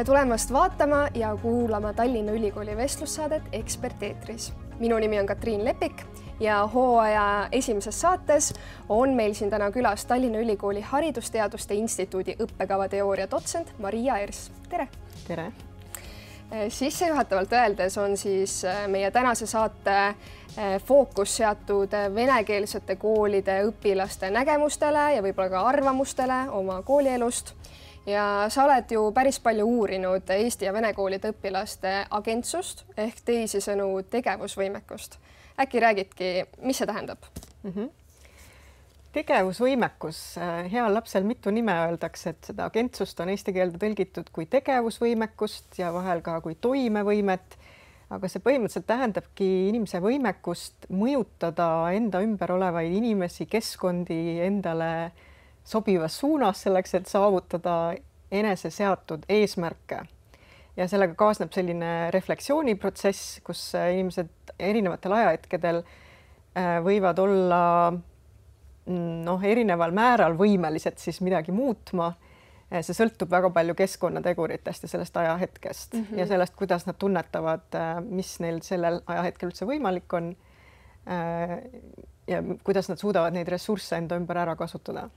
Tere tulemast vaatama ja kuulama Tallinna Ülikooli vestlussaadet Ekspert eetris. Minu nimi on Katriin Lepik ja hooaja esimeses saates on meil siin täna külas Tallinna Ülikooli Haridusteaduste Instituudi õppekavateooria dotsent Maria Ers. Tere! Tere! Sissejuhatavalt öeldes on siis meie tänase saate fookus seatud venekeelsete koolide õpilaste nägemustele ja võib-olla ka arvamustele oma koolielust. Ja sa oled ju päris palju uurinud Eesti ja vene koolide õpilaste agentsust ehk teisisõnu tegevusvõimekust. Äkki räägidki, mis see tähendab? Tegevusvõimekus. Heal lapsel mitu nime öeldakse, et seda agentsust on eesti keelde tõlgitud kui tegevusvõimekust ja vahel ka kui toimevõimet. Aga see põhimõtteliselt tähendabki inimese võimekust mõjutada enda ümber olevaid inimesi, keskkondi endale sobivas suunas selleks, et saavutada enese seatud eesmärke. Ja sellega kaasneb selline refleksiooniprotsess, kus inimesed erinevatel ajahetkedel võivad olla erineval määral võimelised siis midagi muutma. See sõltub väga palju keskkonnateguritest ja sellest ajahetkest ja sellest, kuidas nad tunnetavad, mis neil sellel ajahetkel üldse võimalik on ja kuidas nad suudavad neid ressursse enda ümber ära kasutada.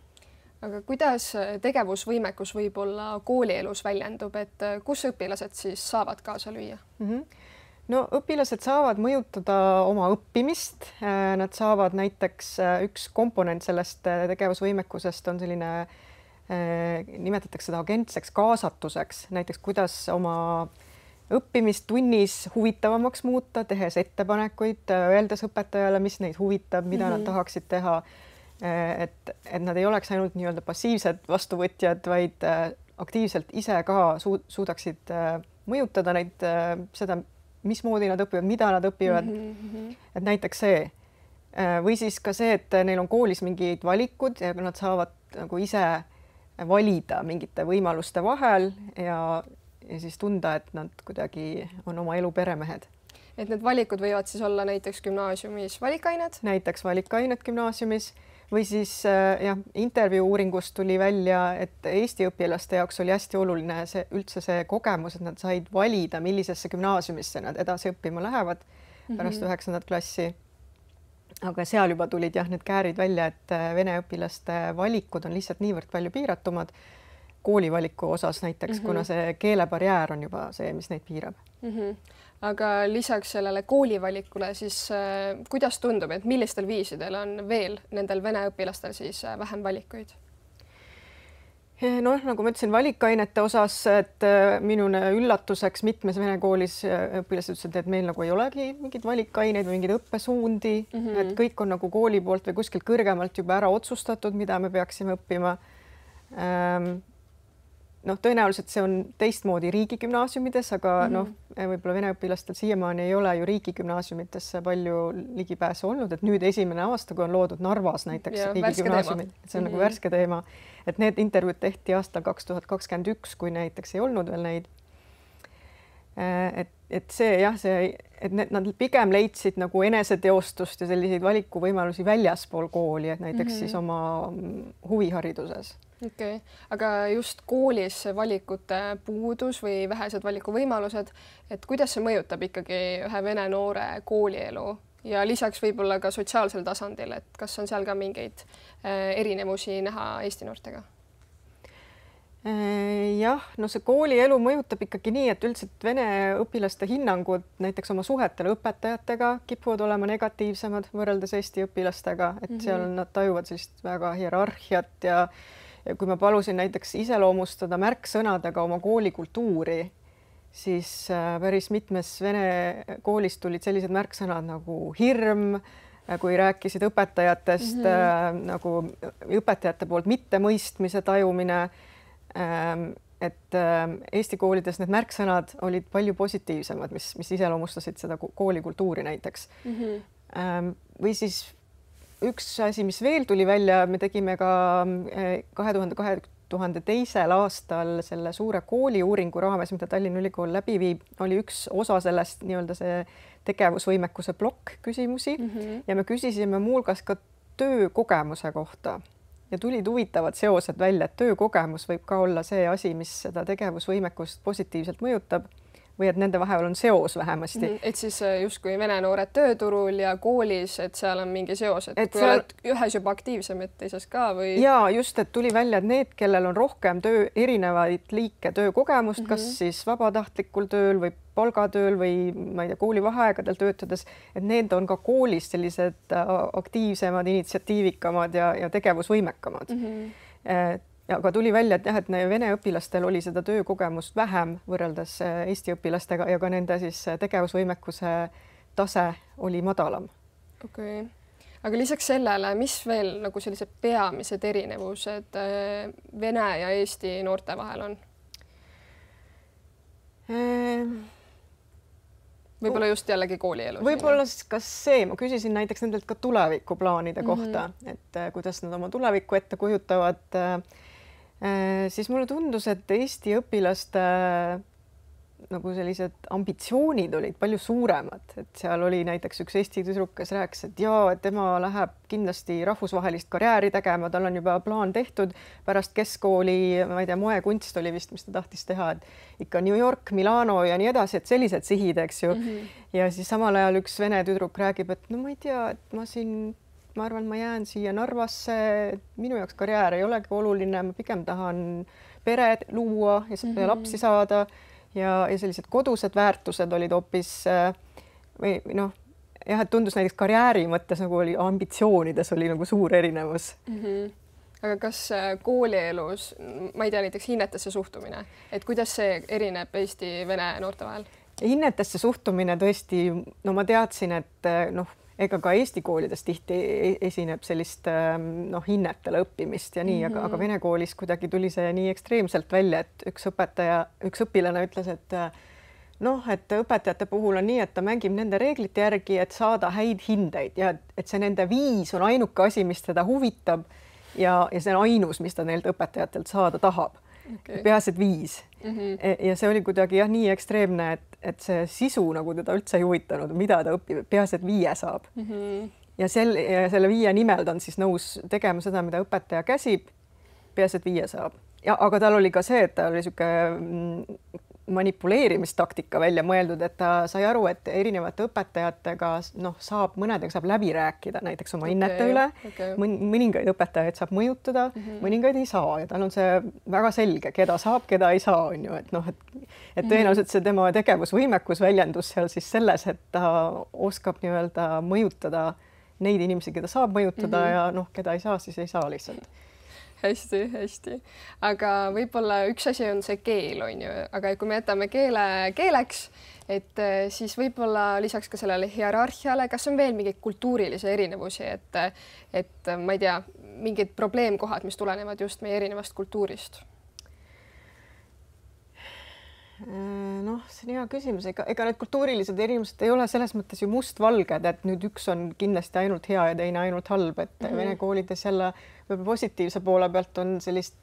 Aga kuidas tegevusvõimekus võib-olla koolielus väljendub, et kus õpilased siis saavad kaasa lüüa? No õpilased saavad mõjutada oma õppimist. Nad saavad näiteks üks komponent sellest tegevusvõimekusest on selline, nimetatakse seda agentseks kaasatuseks, näiteks kuidas oma õppimist tunnis huvitavamaks muuta, tehes ettepanekuid, öeldes õpetajale, mis neid huvitab, mida nad tahaksid teha, et nad ei oleks ainult nii-öelda passiivsed vastuvõtjad, vaid aktiivselt ise ka suudaksid mõjutada neid seda, mismoodi nad õpivad, mida nad õpivad. Et näiteks see. Või siis ka see, et neil on koolis mingid valikud ja nad saavad nagu ise valida mingite võimaluste vahel ja siis tunda, et nad kuidagi on oma elu peremehed. Et need valikud võivad siis olla näiteks gümnaasiumis valikained? Näiteks valikained gümnaasiumis või siis intervjuu uuringust tuli välja, et Eesti õpilaste jaoks oli hästi oluline üldse see kogemus, et nad said valida, millisesse gümnaasiumisse nad edasi õppima lähevad pärast 9. klassi. Aga seal juba tulid need käärid välja, et vene õpilaste valikud on lihtsalt niivõrd palju piiratumad koolivaliku osas näiteks, kuna see keelebarjäär on juba see, mis neid piirab. Aga lisaks sellele koolivalikule, siis kuidas tundub, et millistel viisidel on veel nendel vene õpilastel siis vähem valikuid? Nagu ma ütlesin, valikainete osas, et minune üllatuseks mitmes vene koolis õpilased ütlesid, et meil nagu ei olegi mingid valikaineid või mingid õppesuundi, et kõik on nagu kooli poolt või kuskilt kõrgemalt juba ära otsustatud, mida me peaksime õppima. Tõenäoliselt see on teistmoodi riigigümnaasiumides, aga võib-olla vene õpilastel siiamaani ei ole ju riigigümnaasiumitesse palju ligipääsu olnud, et nüüd esimene aasta, kui on loodud Narvas näiteks riigigümnaasiumid, see on nagu värske teema, et need intervjuud tehti aastal 2021, kui näiteks ei olnud veel neid. Et nad pigem leidsid nagu eneseteostust ja selliseid valikuvõimalusi väljaspool kooli, et näiteks siis oma huvihariduses. Okay. Aga just koolis valikute puudus või vähesed valikuvõimalused, et kuidas see mõjutab ikkagi ühe vene noore koolielu ja lisaks võib-olla ka sotsiaalsel tasandil, et kas on seal ka mingeid erinevusi näha Eesti noortega? See koolielu mõjutab ikkagi nii, et üldiselt vene õpilaste hinnangud näiteks oma suhetele õpetajatega kipuvad olema negatiivsemad võrreldes Eesti õpilastega, et seal nad tajuvad sellist väga hierarhiat ja kui ma palusin näiteks iseloomustada märksõnadega oma koolikultuuri, siis päris mitmes vene koolis tulid sellised märksõnad nagu hirm, kui rääkisid õpetajatest, nagu õpetajate poolt mittemõistmise tajumine, et Eesti koolides need märksõnad olid palju positiivsemad, mis iseloomustasid seda koolikultuuri näiteks. Või siis üks asi, mis veel tuli välja, me tegime ka 2002. aastal selle suure kooliuuringu raames, mida Tallinna Ülikool läbi viib, oli üks osa sellest nii-öelda see tegevusvõimekuse plokk küsimusi ja me küsisime muuhulgas ka töökogemuse kohta. ja tulid huvitavad seosed välja, et töökogemus võib ka olla see asi, mis seda tegevusvõimekust positiivselt mõjutab või et nende vahel on seos vähemasti. Et siis justkui vene noored tööturul ja koolis, et seal on mingi seos, et kui seal... oled ühes juba aktiivsem, et teises ka või? Ja just, et tuli välja, et need, kellel on rohkem erinevaid liike töökogemust, kas siis vabatahtlikul tööl või palgatööl või ma ei tea, kooli vaheaegadel töötades, et need on ka koolis sellised aktiivsemad, initsiatiivikamad ja tegevusvõimekamad. Aga tuli välja, et jah, et vene õpilastel oli seda töökogemust vähem võrreldes Eesti õpilastega ja ka nende siis tegevusvõimekuse tase oli madalam. Okei. Aga lisaks sellele, mis veel nagu sellised peamised erinevused vene ja Eesti noorte vahel on? Võib-olla just jällegi koolielus. Võib-olla kas see, ma küsisin näiteks nendelt ka tulevikuplaanide kohta, et kuidas nad oma tulevikku ette kujutavad. Siis mulle tundus, et Eesti õpilaste nagu sellised ambitsioonid olid palju suuremad, et seal oli näiteks üks Eesti tüdruk, kes rääkis, et jaa, et tema läheb kindlasti rahvusvahelist karjääri tegema, tal on juba plaan tehtud pärast keskkooli, ma ei tea, moekunst oli vist, mis ta tahtis teha, et ikka New York, Milano ja nii edasi, et sellised sihid, eks ju. Ja siis samal ajal üks vene tüdruk räägib, et no ma ei tea, et ma arvan, ma jään siia Narvasse, minu jaoks karjäär ei olegi oluline, ma pigem tahan pere luua ja lapsi saada ja sellised kodused väärtused olid hoopis või noh, jah, et tundus näiteks karjääri mõttes nagu oli ambitsioonides oli nagu suur erinevus. Aga kas koolielus, ma ei tea, näiteks hinnetesse suhtumine, et kuidas see erineb Eesti vene noorte vahel? Hinnetesse suhtumine tõesti, no ma teadsin, et noh, ega ka Eesti koolides tihti esineb sellist hinnetele õppimist ja nii, aga vene koolis kuidagi tuli see nii ekstreemselt välja, et üks õpilane ütles, et noh, et õpetajate puhul on nii, et ta mängib nende reeglite järgi, et saada häid hindeid ja et see nende 5 on ainuke asi, mis teda huvitab ja see on ainus, mis ta neilt õpetajatelt saada tahab. Peaasi, et 5. Ja see oli kuidagi jah, nii ekstreemne, et see sisu nagu teda üldse ei huvitanud, mida ta õpib, peaasi, et 5 saab. Ja selle 5 nimel ta on siis nõus tegema seda, mida õpetaja käsib, peaasi, et 5 saab. Ja, aga tal oli ka see, et ta oli siuke manipuleerimistaktika välja mõeldud, et ta sai aru, et erinevate õpetajatega mõnedega saab läbi rääkida näiteks oma hinnete üle. Mõningaid õpetajaid saab mõjutada, mõningaid ei saa ja tal on see väga selge, keda saab, keda ei saa, on ju, et tõenäoliselt see tema tegevusvõimekus väljendus seal siis selles, et ta oskab nii-öelda mõjutada neid inimesi, keda saab mõjutada ja keda ei saa, siis ei saa lihtsalt. Hästi. Aga võib-olla üks asi on see keel, on ju, aga kui me jätame keele keeleks, et siis võib-olla lisaks ka sellele hierarhiale, kas on veel mingeid kultuurilisi erinevusi, et ma ei tea, mingid probleemkohad, mis tulenevad just meie erinevast kultuurist? Noh, see on hea küsimus, ega need kultuurilised erinevused ei ole selles mõttes ju mustvalged, et nüüd üks on kindlasti ainult hea ja teine ainult halb, et vene koolides jälle positiivse poole pealt on sellist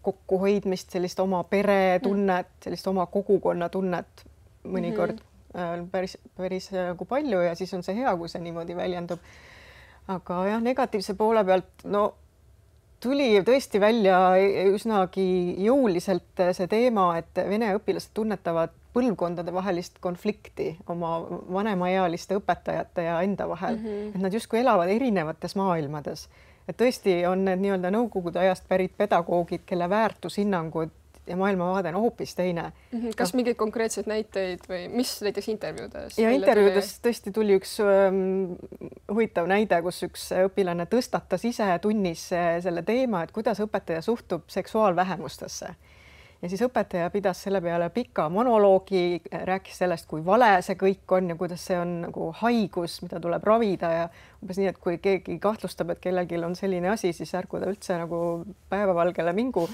kokkuhoidmist, sellist oma pere tunnet, sellist oma kogukonna tunnet mõnikord päris nagu palju ja siis on see hea, kui see niimoodi väljendub. Aga jah, negatiivse poole pealt, tuli tõesti välja üsnagi jõuliselt see teema, et vene õpilased tunnetavad põlvkondade vahelist konflikti oma vanemaealiste õpetajate ja enda vahel. Et nad justkui elavad erinevates maailmades. Et tõesti on need nii-öelda nõukogude ajast pärit pedagoogid, kelle väärtushinnangud ja maailmavaade on hoopis teine. Kas mingeid konkreetseid näiteid või mis näiteks intervjuudes? Ja intervjuudes tõesti tuli üks huvitav näide, kus üks õpilane tõstatas ise tunnis selle teema, et kuidas õpetaja suhtub seksuaalvähemustesse. Ja siis õpetaja pidas selle peale pika monoloogi, rääkis sellest, kui vale see kõik on ja kuidas see on nagu haigus, mida tuleb ravida ja umbes nii, et kui keegi kahtlustab, et kellelgi on selline asi, siis ärgu ta üldse nagu päevavalgele mingu.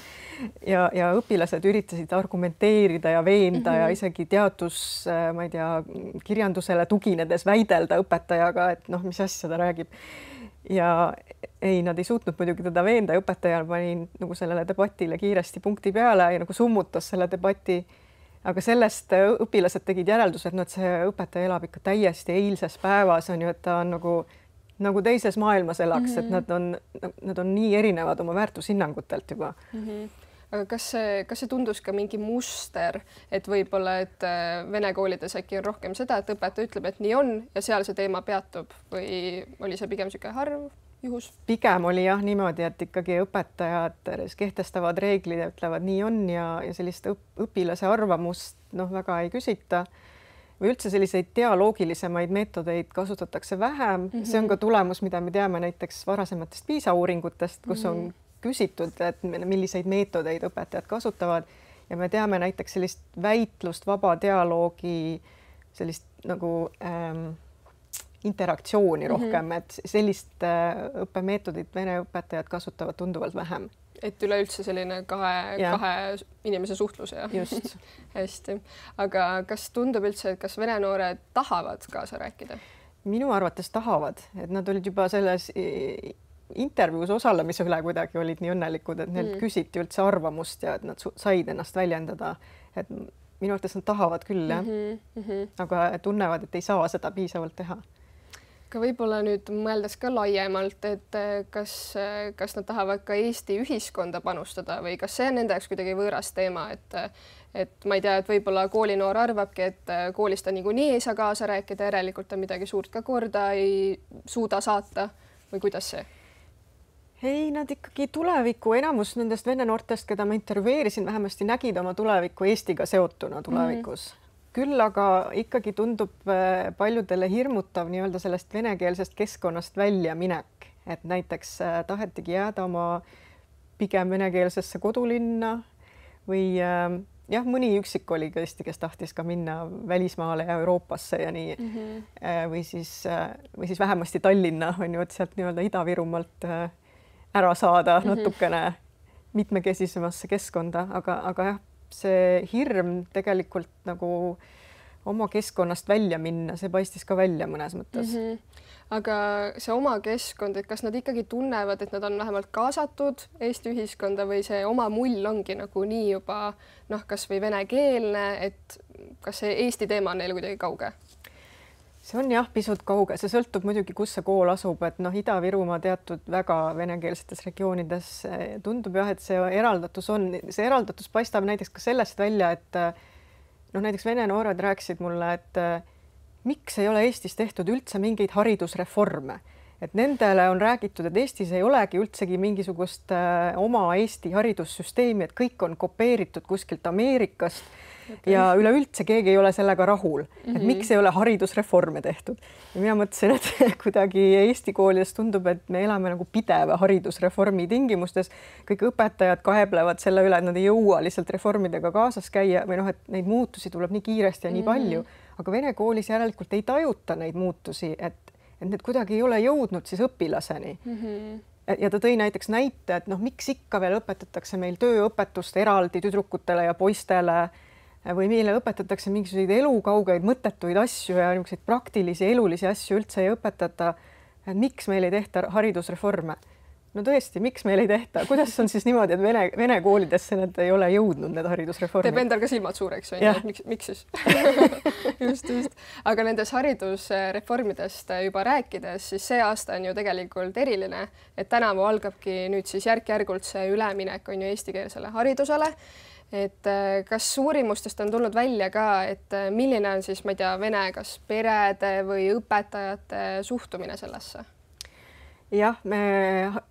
Ja õpilased üritasid argumenteerida ja veenda ja isegi ma ei tea, kirjandusele tuginedes väidelda õpetajaga, et mis asja ta räägib. Ja ei, nad ei suutnud muidugi teda veenda ja õpetajal pani nagu sellele debatile kiiresti punkti peale ja nagu summutas selle debati. Aga sellest õpilased tegid järeldus, et see õpetaja elab ikka täiesti eilses päevas, on ju, et ta on nagu nagu teises maailmas elaks, et nad on nii erinevad oma väärtushinnangutelt juba. Aga kas see tundus ka mingi muster, et võib-olla, et vene koolides äkki on rohkem seda, et õpetaja ütleb, et nii on ja seal see teema peatub või oli see pigem niisugune harv juhus? Pigem oli jah niimoodi, et ikkagi õpetajad kehtestavad reeglid ja ütlevad nii on ja sellist õpilase arvamust väga ei küsita või üldse selliseid dialoogilisemaid meetodeid kasutatakse vähem. See on ka tulemus, mida me teame näiteks varasematest PISA uuringutest, kus on küsitud, et milliseid meetodeid õpetajad kasutavad ja me teame näiteks sellist väitlust, vaba dialoogi, sellist nagu interaktsiooni rohkem, et sellist õppemeetodit vene õpetajad kasutavad tunduvalt vähem. Et üleüldse selline kahe inimese suhtlus ja just. Hästi. Aga kas tundub üldse, et kas vene noored tahavad kaasa rääkida? Minu arvates tahavad, et nad olid juba selles intervjuus osalemise üle kuidagi olid nii õnnelikud, et neilt küsiti üldse arvamust ja et nad said ennast väljendada. Et minu arvates nad tahavad küll, jah. Aga tunnevad, et ei saa seda piisavalt teha. Ka võib-olla nüüd mõeldes ka laiemalt, et kas nad tahavad ka Eesti ühiskonda panustada või kas see on nende jaoks kuidagi võõras teema, et ma ei tea, et võib-olla koolinoor arvabki, et koolis ta niikuinii ei saa kaasa rääkida, järelikult ta midagi suurt ka korda ei suuda saata või kuidas see? Ei, nad ikkagi tuleviku, enamus nendest vene noortest, keda ma intervjueerisin, vähemasti nägid oma tulevikku Eestiga seotuna tulevikus. Küll aga ikkagi tundub paljudele hirmutav nii-öelda sellest venekeelsest keskkonnast välja minek, et näiteks tahetigi jääda oma pigem venekeelsesse kodulinna või jah, mõni üksik oli tõesti, kes tahtis ka minna välismaale ja Euroopasse ja nii või siis vähemasti Tallinna on ju, et sealt nii-öelda Ida-Virumaalt ära saada natukene mitmekesisemasse keskkonda, aga jah, see hirm tegelikult nagu oma keskkonnast välja minna, see paistis ka välja mõnes mõttes. Aga see oma keskkond, et kas nad ikkagi tunnevad, et nad on vähemalt kaasatud Eesti ühiskonda või see oma mull ongi nagu nii juba kas või venekeelne, et kas see Eesti teema on neile kuidagi kauge? See on jah, pisut kauge, see sõltub muidugi, kus see kool asub, et Ida-Virumaa teatud väga venekeelsetes regioonides tundub jah, et see eraldatus paistab näiteks ka sellest välja, et näiteks vene noored rääkisid mulle, et miks ei ole Eestis tehtud üldse mingeid haridusreforme, et nendele on räägitud, et Eestis ei olegi üldsegi mingisugust oma Eesti haridussüsteemi, et kõik on kopeeritud kuskilt Ameerikast. Ja üleüldse keegi ei ole sellega rahul, et miks ei ole haridusreforme tehtud. Ja mina mõtlesin, et kuidagi Eesti koolides tundub, et me elame nagu pideva haridusreformi tingimustes. Kõik õpetajad kaeblevad selle üle, et nad ei jõua lihtsalt reformidega kaasas käia või et neid muutusi tuleb nii kiiresti ja nii palju. Aga vene koolis järelikult ei tajuta neid muutusi, et need kuidagi ei ole jõudnud siis õpilaseni. Ja ta tõi näiteks näite, et miks ikka veel õpetatakse meil tööõpetust eraldi tüdrukutele ja poistele või meile õpetatakse mingisuguseid elukaugeid mõttetuid asju ja niisuguseid praktilisi elulisi asju üldse ei õpetata. Miks meil ei tehta haridusreforme? No tõesti, miks meil ei tehta? Kuidas on siis niimoodi, et vene koolidesse need ei ole jõudnud, need haridusreformid? Teeb endal ka silmad suureks, miks siis? just. Aga nendes haridusreformidest juba rääkides, siis see aasta on ju tegelikult eriline, et tänavu algabki nüüd siis järk-järgult see üleminek on ju eestikeelsele haridusele. Et kas uurimustest on tulnud välja ka, et milline on siis, ma ei tea, vene kas perede või õpetajate suhtumine sellesse? Jah,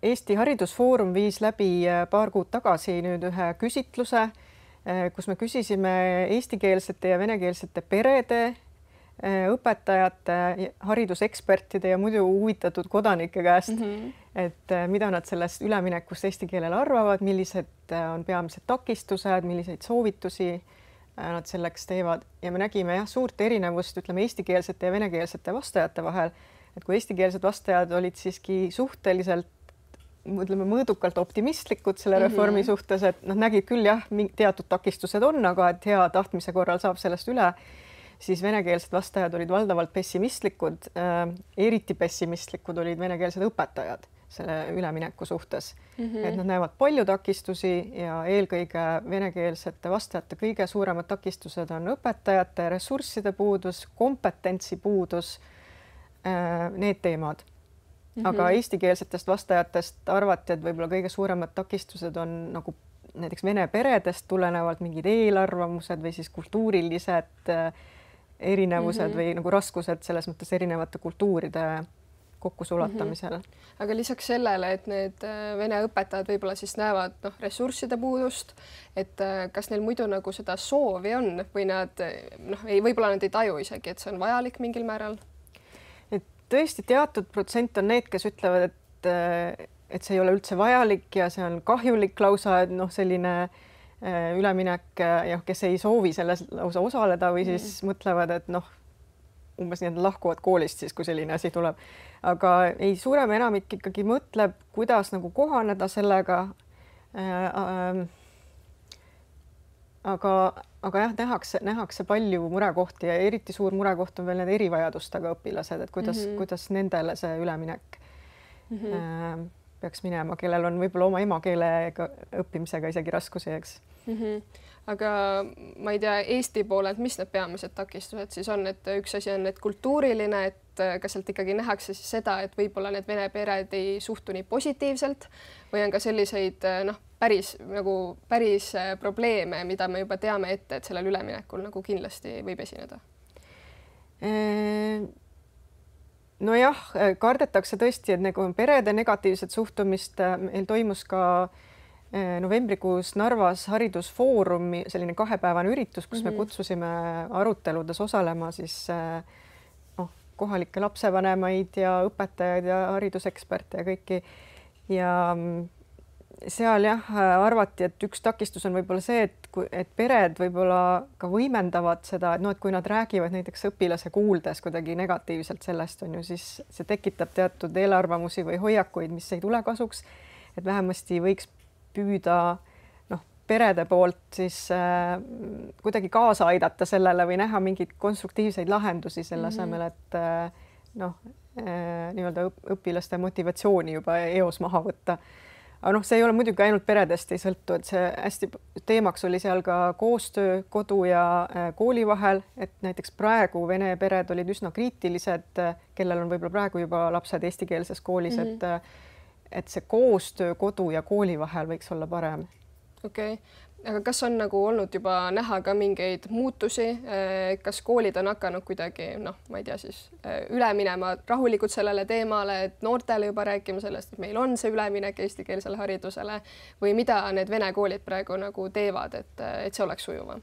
Eesti Haridusfoorum viis läbi paar kuud tagasi nüüd ühe küsitluse, kus me küsisime eestikeelsete ja venekeelsete perede, õpetajate, haridusekspertide ja muidu huvitatud kodanike käest, et mida nad sellest üleminekust eesti keelele arvavad, millised on peamised takistused, milliseid soovitusi nad selleks teevad ja me nägime suurt erinevust, ütleme eestikeelsete ja venekeelsete vastajate vahel, et kui eestikeelsed vastajad olid siiski suhteliselt mõõdukalt optimistlikud selle reformi suhtes, et nad nägid küll jah, teatud takistused on, aga et hea tahtmise korral saab sellest üle, siis venekeelsed vastajad olid valdavalt pessimistlikud, eriti pessimistlikud olid venekeelsed õpetajad selle ülemineku suhtes. Et nad näevad palju takistusi ja eelkõige venekeelsete vastajate kõige suuremad takistused on õpetajate ressursside puudus, kompetentsi puudus, need teemad. aga eestikeelsetest vastajatest arvati, et võib-olla kõige suuremad takistused on nagu näiteks vene peredest tulenevalt mingid eelarvamused või siis kultuurilised erinevused või nagu raskused selles mõttes erinevate kultuuride kokkusulatamisel. Aga lisaks sellele, et need vene õpetajad võib-olla siis näevad ressursside puudust, et kas neil muidu nagu seda soovi on või nad võib-olla nad ei taju isegi, et see on vajalik mingil määral? Et tõesti teatud protsent on need, kes ütlevad, et see ei ole üldse vajalik ja see on kahjulik lausa, et selline üleminek ja kes ei soovi selles lausa osaleda või siis mõtlevad, et umbes nii, et lahkuvad koolist siis, kui selline asi tuleb. Aga ei, suurem enamik ikkagi mõtleb, kuidas nagu kohaneda sellega. Aga jah, nähakse palju murekohti ja eriti suur murekoht on veel need erivajadustega õpilased, et kuidas nendele see üleminek peaks minema, kellel on võib-olla oma emakeele õppimisega isegi raskusi, eks. Aga ma ei tea, Eesti poolelt, mis need peamised takistused siis on, et üks asi on need kultuuriline, et kas sealt ikkagi nähakse siis seda, et võib-olla need vene pered ei suhtu nii positiivselt või on ka selliseid päris probleeme, mida me juba teame ette, et sellel üleminekul nagu kindlasti võib esineda? Nojah, kardetakse tõesti, et nagu perede negatiivset suhtumist. Meil toimus ka novembrikuus Narvas haridusfoorumi selline 2-päevane üritus, kus me kutsusime aruteludes osalema siis kohalikke lapsevanemaid ja õpetajaid ja hariduseksperte ja kõiki. Ja seal jah, arvati, et üks takistus on võib-olla see, et pered võib-olla ka võimendavad seda, et kui nad räägivad näiteks õpilase kuuldes kuidagi negatiivselt sellest on ju, siis see tekitab teatud eelarvamusi või hoiakuid, mis ei tule kasuks. Et vähemasti võiks püüda perede poolt siis kuidagi kaasa aidata sellele või näha mingeid konstruktiivseid lahendusi selle asemel, et nii-öelda õpilaste motivatsiooni juba eos maha võtta. Aga see ei ole muidugi ainult peredest ei sõltu, et see hästi teemaks oli seal ka koostöö kodu ja kooli vahel, et näiteks praegu vene pered olid üsna kriitilised, kellel on võib-olla praegu juba lapsed eestikeelses koolis, et see koostöö kodu ja kooli vahel võiks olla parem. Okei. Aga kas on nagu olnud juba näha ka mingeid muutusi, kas koolid on hakanud kuidagi, ma ei tea siis, üle minema rahulikult sellele teemale, et noortele juba rääkima sellest, et meil on see üleminek eestikeelsele haridusele või mida need vene koolid praegu nagu teevad, et see oleks sujuvam?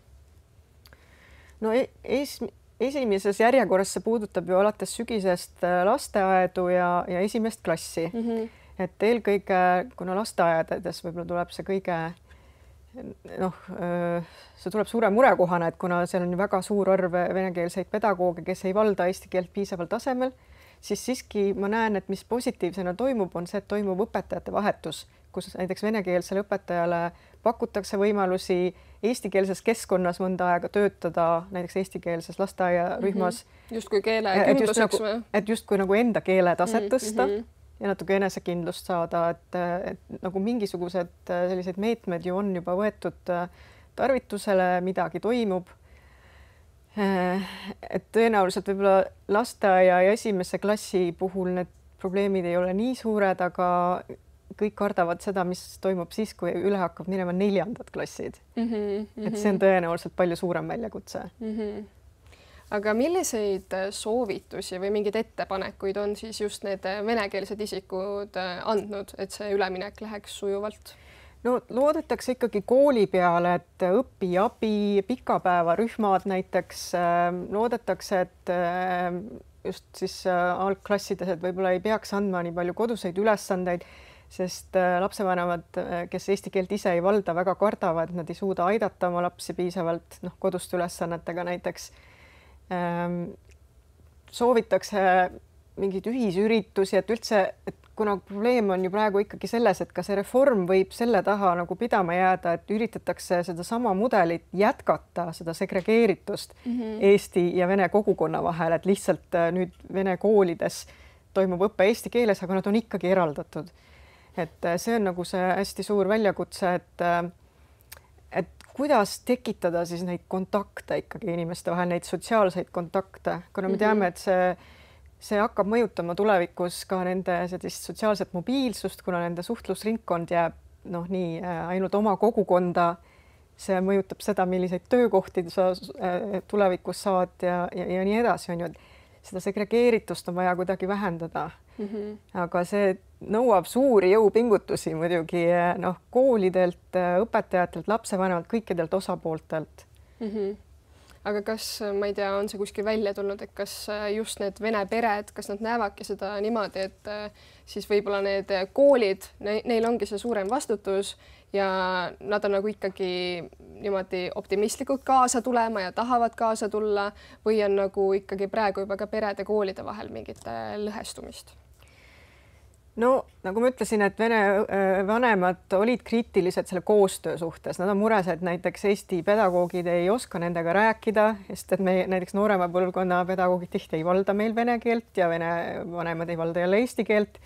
Esimeses järjekorras see puudutab ju alates sügisest lasteaedu ja esimest klassi. Et eelkõige, kuna lasteaedades võib-olla tuleb see kõige see tuleb suure murekohana, et kuna seal on väga suur arv venekeelseid pedagooge, kes ei valda eesti keelt piisaval tasemel, siis siiski ma näen, et mis positiivsena toimub, on see, et toimub õpetajate vahetus, kus näiteks venekeelsele õpetajale pakutakse võimalusi eestikeelses keskkonnas mõnda aega töötada, näiteks eestikeelses lasteaiarühmas. Justkui keele kindluseks või? Et justkui nagu enda keele taset tõsta ja natuke enesekindlust saada, et nagu mingisugused sellised meetmed ju on juba võetud tarvitusele, midagi toimub. Et tõenäoliselt võib-olla lasteaia ja esimese klassi puhul need probleemid ei ole nii suured, aga kõik kardavad seda, mis toimub siis, kui üle hakkab minema 4. klassid. Et see on tõenäoliselt palju suurem väljakutse. Aga milliseid soovitusi või mingeid ettepanekuid on siis just need venekeelsed isikud andnud, et see üleminek läheks sujuvalt? Loodetakse ikkagi kooli peale, et õpiabi, pikapäevarühmad näiteks, loodetakse, et just siis algklassides, et võib-olla ei peaks andma nii palju koduseid ülesandeid, sest lapsevanemad, kes eesti keelt ise ei valda, väga kardavad, et nad ei suuda aidata oma lapsi piisavalt koduste ülesannetega näiteks. Soovitakse mingeid ühisüritusi, et üldse, et kuna probleem on ju praegu ikkagi selles, et ka see reform võib selle taha nagu pidama jääda, et üritatakse seda sama mudelit jätkata, seda segregeeritust eesti ja vene kogukonna vahel, et lihtsalt nüüd vene koolides toimub õppe eesti keeles, aga nad on ikkagi eraldatud. Et see on nagu see hästi suur väljakutse, et kuidas tekitada siis neid kontakte ikkagi inimeste vahel, neid sotsiaalseid kontakte, kuna me teame, et see see hakkab mõjutama tulevikus ka nende sellist sotsiaalset mobiilsust, kuna nende suhtlusringkond jääb noh, nii ainult oma kogukonda. See mõjutab seda, milliseid töökohti sa tulevikus saad ja nii edasi, on ju. Seda segregeeritust on vaja kuidagi vähendada. Aga see nõuab suuri jõupingutusi muidugi noh, koolidelt, õpetajatelt, lapsevanemalt, kõikidelt osapooltelt. Aga kas, ma ei tea, on see kuskil välja tulnud, et kas just need vene pered, kas nad näevadki seda niimoodi, et siis võib-olla need koolid, neil ongi see suurem vastutus ja nad on nagu ikkagi niimoodi optimistlikult kaasa tulema ja tahavad kaasa tulla või on nagu ikkagi praegu juba ka perede koolide vahel mingit lõhestumist? No nagu ma ütlesin, et vene vanemad olid kriitilised selle koostöö suhtes. Nad on mures, et näiteks Eesti pedagoogid ei oska nendega rääkida, sest et me näiteks noorema põlvkonna pedagoogid tihti ei valda meil vene keelt ja vene vanemad ei valda jälle eesti keelt.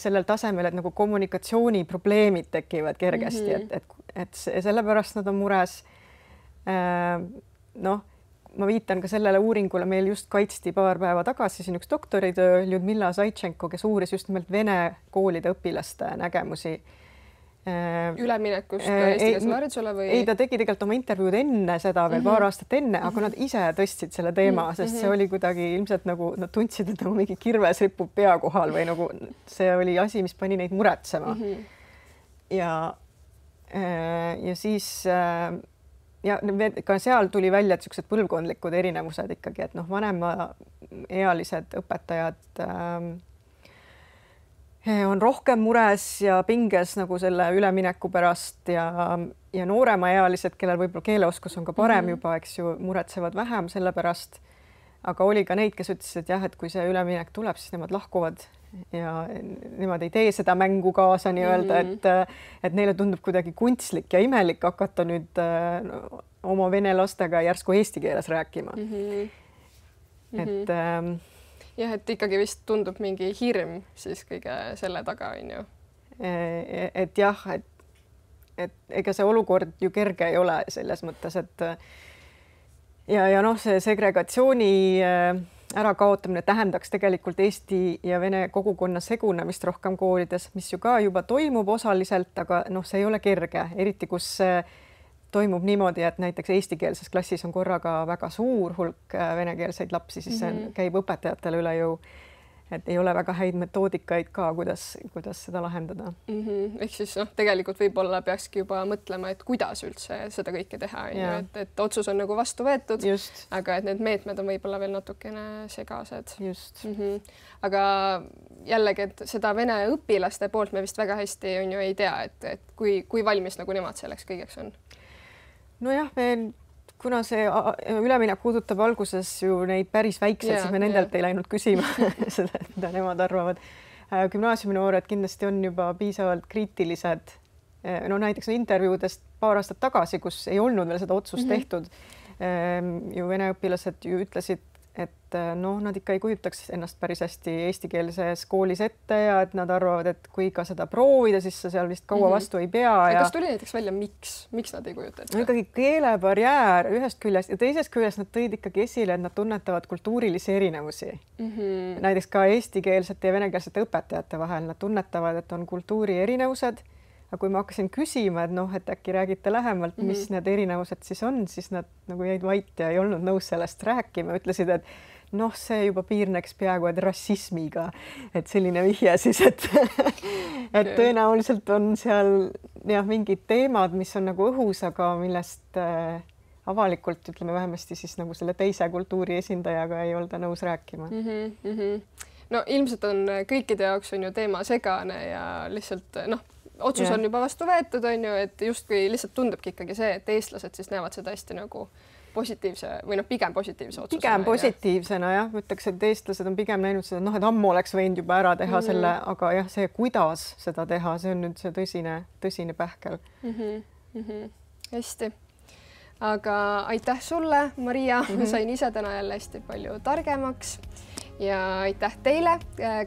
Sellel tasemel, et nagu kommunikatsiooniprobleemid tekivad kergesti, et sellepärast nad on mures. Noh, ma viitan ka sellele uuringule, meil just kaitsti paar päeva tagasi siin üks doktoritöö Ljudmila Zaitšenko, kes uuris just nimelt vene koolide õpilaste nägemusi. Üleminekust eestikeelsele haridusele või? Ei, ta tegi tegelikult oma intervjuud enne seda veel paar aastat enne, aga nad ise tõstsid selle teema, sest see oli kuidagi ilmselt nagu nad tundsid, et nagu mingi kirves ripub pea kohal või nagu see oli asi, mis pani neid muretsema. Ja siis ja ka seal tuli välja, et niisugused põlvkondlikud erinevused ikkagi, et noh, vanemaealised õpetajad on rohkem mures ja pinges nagu selle ülemineku pärast ja nooremaealised, kellel võib-olla keeleoskus on ka parem juba, eks ju, muretsevad vähem selle pärast. Aga oli ka neid, kes ütlesid, et jah, et kui see üleminek tuleb, siis nemad lahkuvad ja nemad ei tee seda mängu kaasa nii-öelda, et neile tundub kuidagi kunstlik ja imelik hakata nüüd oma vene lastega järsku eesti keeles rääkima. Et jah, et ikkagi vist tundub mingi hirm siis kõige selle taga, on ju. Et jah, et ega see olukord ju kerge ei ole selles mõttes, et ja noh, see segregatsiooni ärakaotamine tähendaks tegelikult Eesti ja vene kogukonna segunemist rohkem koolides, mis ju ka juba toimub osaliselt, aga noh, see ei ole kerge, eriti kus toimub niimoodi, et näiteks eestikeelses klassis on korraga väga suur hulk venekeelseid lapsi, siis see käib õpetajatele üle jõu. Et ei ole väga häid metoodikaid ka, kuidas seda lahendada. Ehk siis noh, tegelikult võib-olla peakski juba mõtlema, et kuidas üldse seda kõike teha, et otsus on nagu vastu võetud, aga et need meetmed on võib-olla veel natukene segased. Just. Aga jällegi, et seda vene õpilaste poolt me vist väga hästi on ju ei tea, et kui valmis nagu nemad selleks kõigeks on? Nojah, kuna see üleminek puudutab alguses ju neid päris väikseid, siis me nendelt ei läinud küsima seda, mida nemad arvavad. Gümnaasiumi noored kindlasti on juba piisavalt kriitilised. No näiteks intervjuudest paar aastat tagasi, kus ei olnud veel seda otsust tehtud, ju vene õpilased ju ütlesid, et noh, nad ikka ei kujutaks ennast päris hästi eestikeelses koolis ette ja et nad arvavad, et kui ka seda proovida, siis sa seal vist kaua vastu ei pea. Kas tuli näiteks välja, miks nad ei kujuta ette? No ikkagi keelebarjäär ühest küljest ja teisest küljest nad tõid ikkagi esile, et nad tunnetavad kultuurilisi erinevusi. Näiteks ka eestikeelsete ja venekeelsete õpetajate vahel nad tunnetavad, et on kultuuri erinevused. Aga kui ma hakkasin küsima, et noh, et äkki räägite lähemalt, mis need erinevused siis on, siis nad nagu jäid vait ja ei olnud nõus sellest rääkima. Ütlesid, et noh, see juba piirneks peaaegu et rassismiga, et selline vihje siis, et tõenäoliselt on seal jah, mingid teemad, mis on nagu õhus, aga millest avalikult, ütleme vähemasti siis nagu selle teise kultuuri esindajaga ei olda nõus rääkima. No ilmselt on kõikide jaoks on ju teema segane ja lihtsalt noh, otsus on juba vastu võetud, on ju, et justkui lihtsalt tundubki ikkagi see, et eestlased siis näevad seda hästi nagu positiivse või noh, pigem positiivse otsusena. Pigem positiivsena jah, ütleks, et eestlased on pigem näinud seda, noh, et ammu oleks võinud juba ära teha selle, aga jah, see, kuidas seda teha, see on nüüd see tõsine pähkel. Hästi. Aga aitäh sulle, Maria, sain ise täna jälle hästi palju targemaks ja aitäh teile,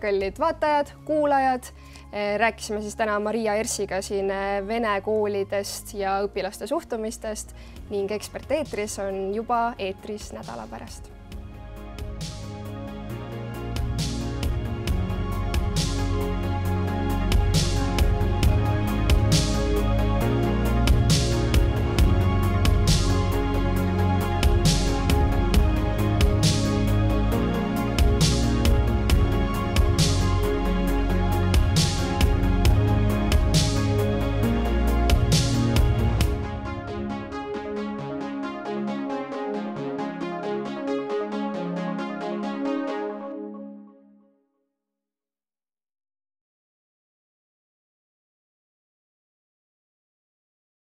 kallid vaatajad, kuulajad. Rääkisime siis täna Maria Ersiga siin vene koolidest ja õpilaste suhtumistest ning Ekspert eetris on juba eetris nädala pärast.